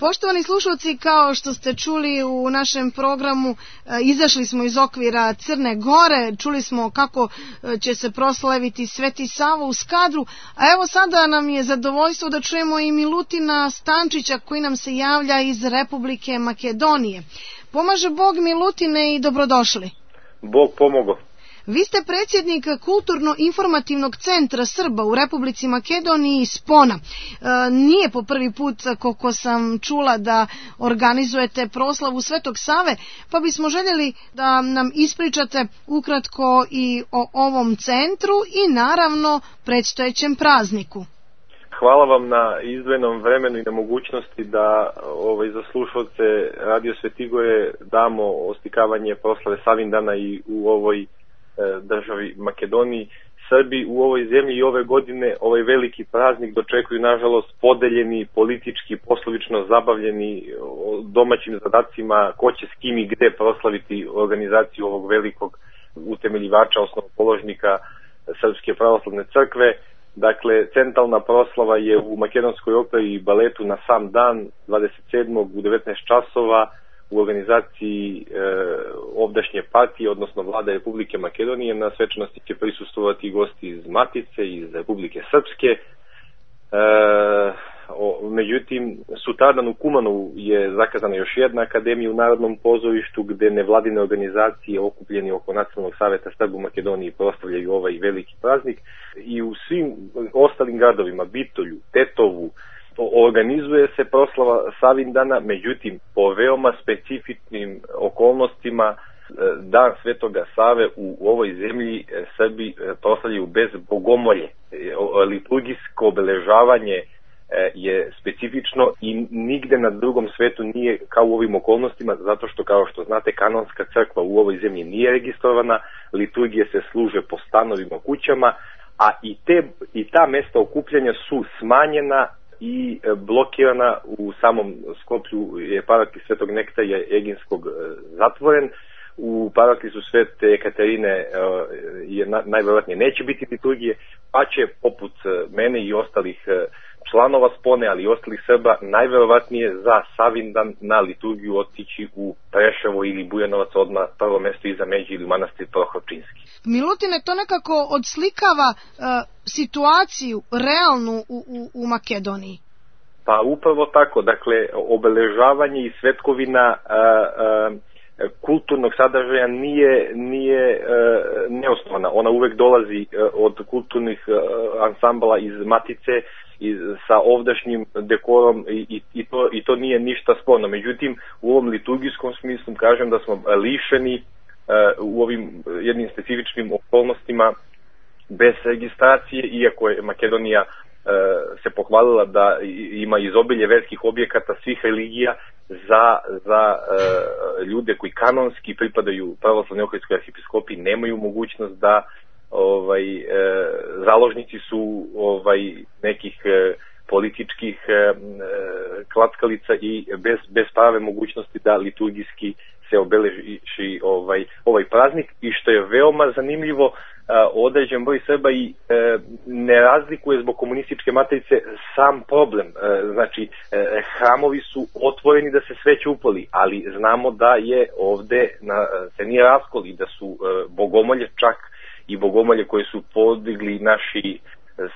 Poštovani slušalci, kao što ste čuli u našem programu, izašli smo iz okvira Crne Gore, čuli smo kako će se proslaviti Sveti Sava u Skadru, a evo sada nam je zadovoljstvo da čujemo i Milutina Stančića koji nam se javlja iz Republike Makedonije. Pomaže Bog, Milutine, i dobrodošli. Bog pomogao. Vi ste predsjednik Kulturno-informativnog centra Srba u Republici Makedoniji Spona. Nije po prvi put, koliko sam čula, da organizujete proslavu Svetog Save, pa bismo željeli da nam ispričate ukratko i o ovom centru i naravno predstojećem prazniku. Hvala vam na izdvojenom vremenu i na mogućnosti da za slušalce Radio Svetigore damo oslikavanje proslave Savindana i u ovoj državi Makedoniji. Srbi u ovoj zemlji i ove godine ovaj veliki praznik dočekuju nažalost podeljeni, politički, poslovično zabavljeni domaćim zadacima ko će s kim i gde proslaviti organizaciju ovog velikog utemeljivača, osnovopoložnika Srpske pravoslavne crkve. Dakle, centralna proslava je u Makedonskoj operi i baletu na sam dan 27. u 19 časova u organizaciji ovdašnje partije, odnosno Vlade Republike Makedonije. Na svečanosti će prisustvovati gosti iz Matice, iz Republike Srpske. Međutim, sutradan u Kumanovu je zakazana još jedna akademija u Narodnom pozorištu gde nevladine organizacije okupljeni oko Nacionalnog saveta Srba u Makedoniji proslavljaju ovaj veliki praznik. I u svim ostalim gradovima, Bitolju, Tetovu, organizuje se proslava Savindana, međutim po veoma specifičnim okolnostima Dan Svetoga Save u ovoj zemlji Srbi proslavljaju bez bogomolje. Liturgijsko obeležavanje je specifično i nigde na drugom svetu nije kao u ovim okolnostima, zato što, kao što znate, kanonska crkva u ovoj zemlji nije registrovana, liturgije se služe po stanovima, kućama, a i ta mesta okupljanja su smanjena i blokirana. U samom Skoplju je paraklis Svetog Nektarija Eginskog zatvoren, u paraklisu Svete Ekaterine najvjerojatnije neće biti liturgije, pa će poput mene i ostalih članova Spone, ali i ostalih Srba, najvjerovatnije za Savindan na liturgiju otići u Preševo ili Bujanovac, odmah prvo mesto iza Međe ili manastir Prohorčinski. Milutine, to nekako odslikava situaciju realnu u Makedoniji. Pa upravo tako, dakle, obeležavanje i svetkovina kulturnog sadržaja nije neosnovana. Ona uvek dolazi od kulturnih ansambala iz Matice sa ovdašnjim dekorom i to nije ništa sporno. Međutim, u ovom liturgijskom smislu kažem da smo lišeni u ovim jednim specifičnim okolnostima bez registracije, iako je Makedonija se pohvalila da ima izobilje verskih objekata svih religija za ljude koji kanonski pripadaju pravoslavnoj ohridskoj arhipiskopiji, nemaju mogućnost da založnici su nekih političkih klackalica i bez prave mogućnosti da liturgijski se obeleži ovaj praznik. I što je veoma zanimljivo, određen broj Srba i ne razlikuje zbog komunističke matrice sam problem. Znači, hramovi su otvoreni da se sveće upali, ali znamo da je ovde se nije raskol i da su bogomolje, čak i bogomolje koje su podigli naši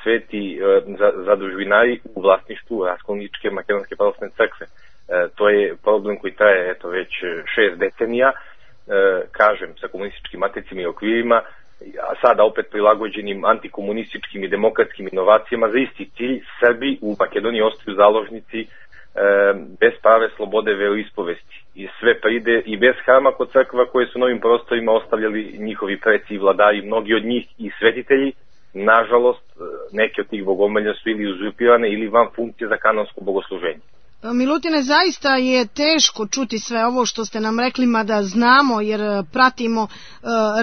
sveti zadužbinari u vlasništvu raskolničke Makedonske pravoslavne crkve. To je problem koji traje već 6 decenija, kažem, sa komunističkim matricima i okvirima, a sada opet prilagođenim antikomunističkim i demokratskim inovacijama za isti cilj. Srbi u Makedoniji ostaju založnici bez prave slobode veroispovesti i sve pride i bez hrama kod crkva koje su na ovim prostorima ostavljali njihovi preci i vladari, mnogi od njih i svetitelji. Nažalost, neke od tih bogomolja su ili uzurpirane ili van funkcije za kanonsko bogosluženje. Milutine, zaista je teško čuti sve ovo što ste nam rekli, mada znamo jer pratimo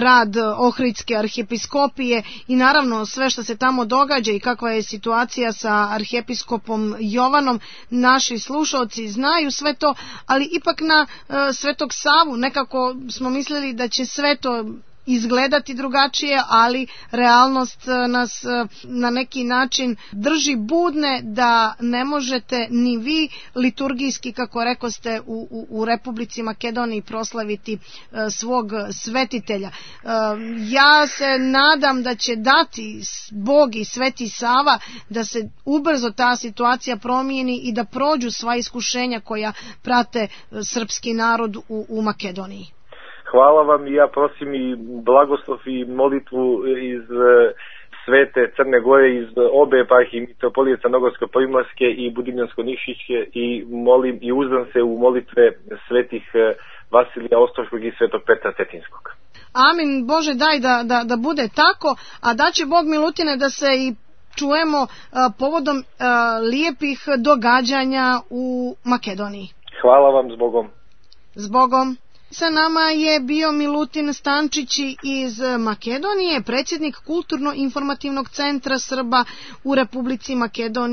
rad Ohridske arhijepiskopije i naravno sve što se tamo događa i kakva je situacija sa arhijepiskopom Jovanom. Naši slušalci znaju sve to, ali ipak na Svetog Savu nekako smo mislili da će sve to izgledati drugačije, ali realnost nas na neki način drži budne da ne možete ni vi liturgijski, kako rekoste, u Republici Makedoniji proslaviti svog svetitelja. Ja se nadam da će dati Bog i Sveti Sava da se ubrzo ta situacija promijeni i da prođu sva iskušenja koja prate srpski narod u Makedoniji. Hvala vam i ja prosim i blagoslov i molitvu iz Svete Crne Gore, iz obe eparhije, Mitropolije Crnogorsko-Primorske i Budimljansko-Nikšićke, i molim i uzdam se u molitve svetih Vasilija Ostroškog i Svetog Petra Cetinskog. Amin, Bože daj da bude tako, a da će Bog Milutine da se i čujemo povodom lijepih događanja u Makedoniji. Hvala vam, zbogom. Zbogom. Sa nama je bio Milutin Stančić iz Makedonije, predsjednik Kulturno-informativnog centra Srba u Republici Makedoniji.